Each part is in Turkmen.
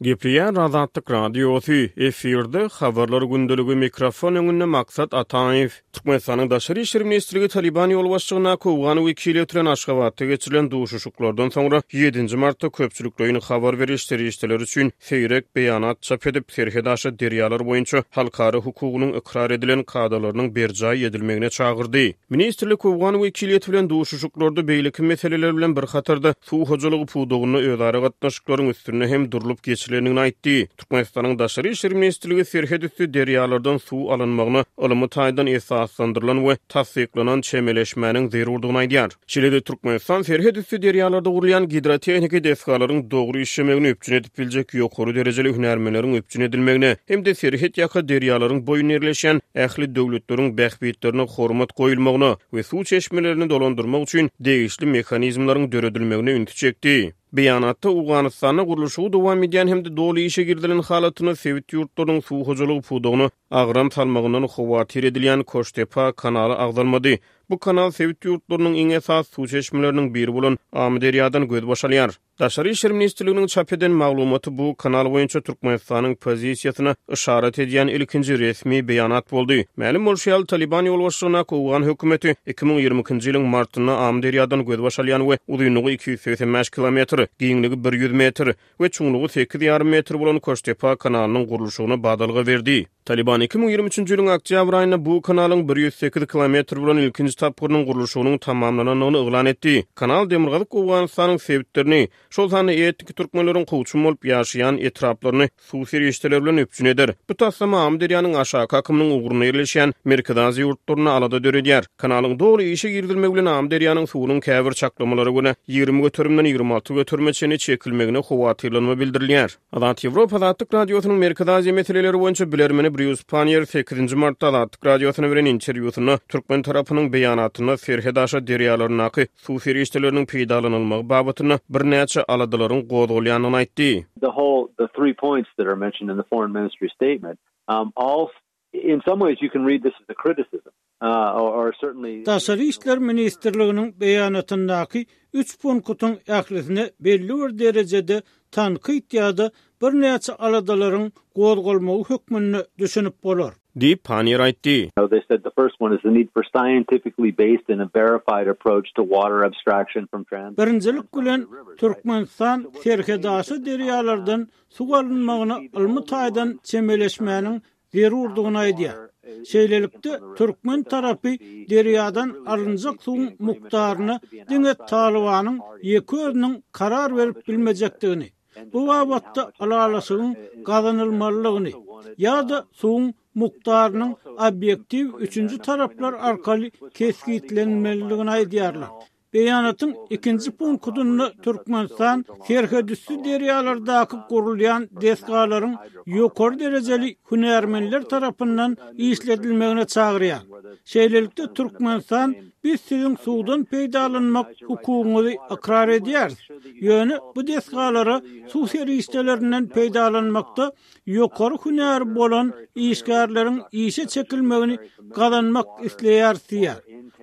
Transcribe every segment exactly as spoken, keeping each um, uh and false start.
Gepleýär Azatlyk Radiosy, efirde Habarlar gündeligi, mikrofon öňünde Maksat Ataýew. Türkmenistanyň Daşary işler ministrligi Talyban ýolbaşçylygyndaky owgan wekiliýeti bilen Aşgabatda geçirilen duşuşyklardan soňra ýedinji martda köpçülikleýin habar beriş serişdeleri üçin seýrek beýanat çap edip, serhetaşa derýalar boýunça halkara hukugynyň ykrar edilen kadalarynyň berjaý edilmegine çagyrdy. Ministrlik owgan wekiliýeti bilen duşuşyklarda beýleki meseleler bilen bir hatarda suw hojalygy pudagynda özara gatnaşyklaryň üstünde hem durlup geçilendigini aýtdy. Türkmenistanyň Daşary işler ministrligi serhetüsti derýalardan suw alynmagyna ylmy taýdan esaslandyrylan we tassyklanan çemeleşmäniň zerurdygyny aýdýar. Şeýle-de Türkmenistan serhetüsti derýalarda gurulýan gidrotehniki desgalaryň dogry işlemegini üpjün edip biljek ýokary derejeli hünärmenleriň üpjün edilmegine hem-de serhet ýaka derýalaryň boýunda ýerleşýän ähli döwletleriň bähbitlerine hormat goýulmagyna we suw çeşmelerini dolandyrmak üçin degişli mehanizmleriň döredilmegine ünsi çekdi. Beýanatda Owganystanda gurluşygy dowam edýän hem-de doly işe girizilen halatynda sebit ýurtlarynyň suw hojalygy pudagyna agram salmagyndan howatyr edilýän Koştepa kanaly agzalmady. Bu kanal sebit ýurtlarynyň iň esasy suw çeşmeleriniň biri bolan Amyderýadan gözbaş alýar. Daşary işler ministrliginiň çap eden maglumaty bu kanal boýunça Türkmenistanyň pozisiýasyna yşarat edýän ilkinji resmi beýanat boldy. Mälim bolşy ýaly, Talyban ýolbaşçylygyndaky owgan hökümeti iki müň ýigrimi ikinji ýylyň martynda Amyderýadan gözbaş alýan we uzynlygy iki ýüz segsen bäş kilometr, giňligi bir ýüz metr we çuňlugy sekiz ýarym metr bolan Koştepa kanalynyň gurluşygyna badalga berdi. Talyban iki müň ýigrimi üçünji ýylyň oktýabr aýynda bu kanalyň bir ýüz sekiz kilometr bolan ilkinji tapgyrynyň gurluşygynyň tamamlanandygyny yglan etdi. Kanal Demirgazyk Owganystanyň sebitlerini, şol sanda etniki türkmenleriň kowçum bolup ýaşaýan etraplaryny suw serişdeleri bilen üpjün eder. Bu taslama Amyderýanyň aşaky akymynyň ugrunda ýerleşýän Merkezi Aziýa ýurtlarynda alada döredýär. Kanalyň doly işe girizilmegi bilen Amyderýanyň suwunyň käbir çaklamalara görä ýigrimi göterimden ýigrimi alty göterime çenli çekilmegine howatyrlanma bildirilýär. Azat Ýewropa Azatlyk Radiosynyň Merkezi Aziýa meseleleri boýunça bilermeni Brýus Panniýer sekizinji martda Azatlyk Radiosyna beren interwýusynda türkmen tarapynyň beýanatynda serhetaşa derýalaryndaky suw serişdeleriniň peýdalanylmagy babatynda birnäçe aladalaryň gozgalýandygyny aýtdy. The whole, the three points that are mentioned in the foreign ministry statement, um, all in some ways you can read this as a criticism. Uh, or, or certainly Daşary işler ministrliginiň beýanatyndaky üç punktyň ählisine belli bir derejede tankyt ýa-da birnäçe aladalaryň gozgalmagy hökmünde düşünip bolar. Diýip Panniýer aýtdy. They said the first one is the need for scientifically based and a verified approach to water abstraction from trans. Birinjilik bilen Türkmenistan serhetaşa derýalardan suw alynmagyna ylmy taýdan çemeleşmäniň zerurdygyny aýdýar. Şeýlelikde türkmen tarapy derýadan alynjak suwuň mukdaryna diňe Talybanyň ýeke özüniň karar berip bilmejekdigini, bu babatda ylalaşygyň gazanylmalydygyny ýa-da suwuň mukdarynyň obýektiw üçünji taraplar arkaly kesgitlenmelidigini aýdýarlar. Beýanatyň ikinji punktunda Türkmenistan serhetüsti derýalardaky gurulýan desgalaryň ýokary derejeli hünärmenler tarapyndan işledilmegine çagyrýar. Şeýlelikde Türkmenistan biz siziň suwdan peýdalanmak hukugyňyzy ykrar edýäris. Ýöne bu desgalara suw serişdelerinden peýdalanmakda ýokary hünär bolan işgärleriň işe çekilmegini gazanmak isleýäris diýär.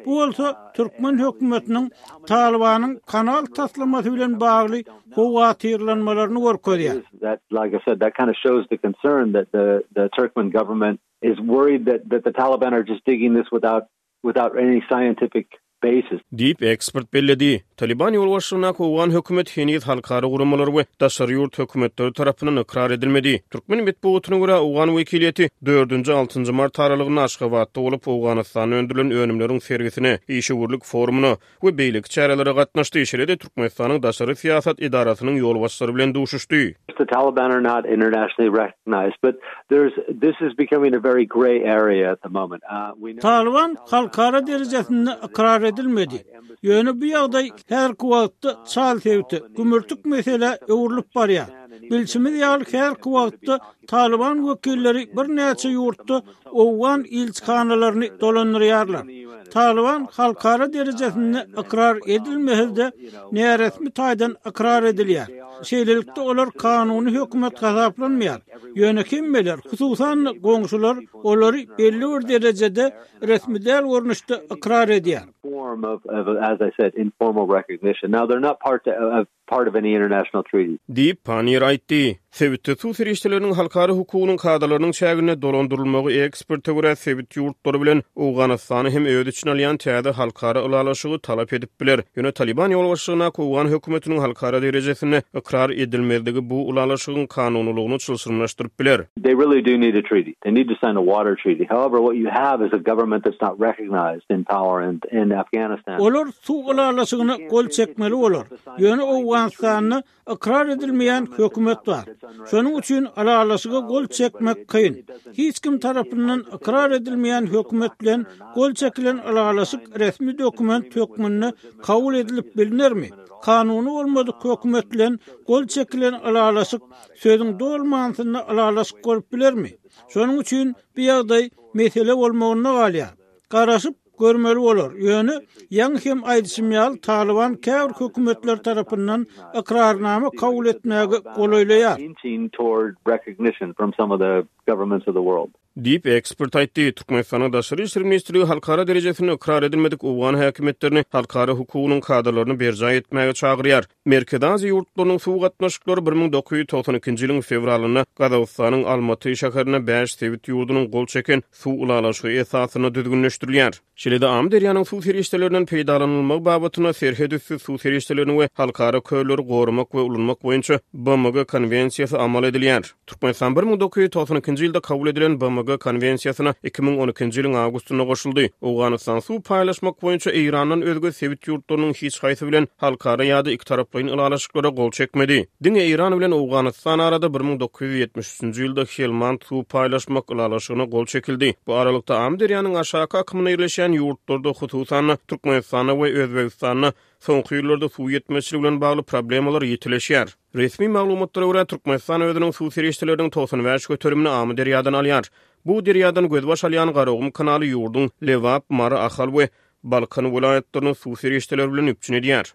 Bu bolsa türkmen hökümetiniň Talybanyň kanal taslamasy bilen bagly howatyrlanmalaryny görkezýär. That, like I said, that kind of shows the concern that the, the Turkmen government is worried that, that the Taliban are just digging this without, without any scientific basis. Diýip ekspert belledi. Taliban ýolbaşçylygyndaky owgan hökümeti heniz halkara guramalary we daşary ýurt hökümetleri tarapyndan ykrar edilmedi. Türkmen metbugatyna görä owgan wekiliýeti dördünji altynjy mart aralygynda Aşgabatda bolup Owganystanda öndürilen önümleriň sergisine, işewürlik forumyna we beýleki çärelere gatnaşdy. Şeýle-de Türkmenistanyň daşary syýasat edarasynyň ýolbaşçylary bilen duşuşdy. The Taliban are not internationally recognized, but there's this is becoming a very gray area at the moment. Uh, we know Taliban halkara derejesinde ykrar edilmedi. Ýöne bu ýagdaý häzirki wagtda çal sebiti, gümürtik mesele öwrülip barýar. Bilşimiz ýaly häzirki wagtda Taliban wekilleri birnäçe ýurtda owgan ilçihanalaryny dolandyrýarlar. Taliban halkara derejesinde ykrar edilmese-de näresmi taýdan ykrar edilýär. Şeýlelikde olar kanuny hökümet hasaplanmaýar. Ýöne hemmeler, hususan goňşular olary belli bir derejede resmi däl görnüşde ykrar edýär. form of, of, as I said, informal recognition. Now, they're not part of, part of any international treaty. Diýip, Panniýer aýtdy. Sebitde suw serişdeleriniň halkara hukugynyň kadalarynyň çäginde dolandyrylmagy eksperte görä sebit ýurtlary bilen Owganystany hem öz içine alýan täze halkara ylalaşygy talap edip biler. Ýöne Taliban ýolbaşçylygyndaky Owgan hökümetiniň halkara derejesinde ykrar edilmezligi bu ylalaşygyň kanunylygyny çylşyrymlaşdyryp biler. They really do need a treaty. They need to sign a water treaty. However, what you have is a government that's not recognized in power in, in Afghanistan. Olar suw ylalaşygyna gol çekmeli bolar. Ýöne Owganystanda ykrar edilmeýän hökümet bar. Şonuň üçin ylalaşyga gol çekmek kyn. Hiç kim tarapyndan ykrar edilmeýän hökümet bilen gol çekilen ylalaşyk resmi dokument hökmünde kabul edilip bilinermi? Kanuny bolmadyk hökümet bilen gol çekilen ylalaşyk sözüň doly manysynda ylalaşyk bolup bilermi? Şonuň üçin bu ýagdaý mesele bolmagyna galýar. Garaşyp görmeli bolar. Ýöne ýaňy hem aýdyşym ýaly Taliban käbir hökümetler tarapyndan ykrarnama kabul etmäge golaýlaýar. Inching toward recognition from some of the governments of the world. Diýip ekspert aýtdy. Türkmenistanyň Daşary işler ministrligi halkara derejesinde ykrar edilmedik Owgan häkimiýetlerini halkara hukugynyň kadalaryny berjaý etmäge çagyrýar. Merkezi Aziýa ýurtlarynyň suw gatnaşyklary bir müň dokuz ýüz togsan ikinji ýylyň fewralynda Gazagystanyň Almaty şäherinde bäş sebit ýurdunyň gol çeken suw ylalaşygy esasynda düzgünleşdirilýär. Şeýle-de Amyderýanyň suw serişdelerinden peýdalanylmagy babatynda serhet üsti suw serişdelerini we halkara kölleri goramak we ulanmak boýunça B M G konwensiýasy amal edilýär. Türkmenistan bir müň dokuz ýüz togsan ikinji ýylda kabul edilen B M G konwensiýasyna iki müň on ikinji ýylyň awgustynda goşuldy. Owganystan suw paýlaşmak boýunça Eýrandan özge sebit ýurtlarynyň hiç haýsy bilen halkara ýa-da iki taraplaýyn ylalaşyklara gol çekmedi. Diňe Eýran bilen Owganystan arada bir müň dokuz ýüz ýetmiş üçünji ýylda Helmand suw paýlaşmak ylalaşygyna gol çekildi. Bu aralykda Amyderýanyň aşaky akymyna ýerleşen ýurtlarda, hususan Türkmenistanda we Özbegistanda soňky ýyllarda suw ýetmezçiligi bilen bagly problemalar ýitileşýär. Resmi maglumatlara görä Türkmenistan özüniň suw serişdeleriniň togsan bäş göterimini Amyderýadan alýar. Bu derýadan gözbaş alýan Garagum kanaly ýurduň Lebap, Mary, Ahal we Balkan welaýatlaryny suw serişdeleri bilen üpjün edýär.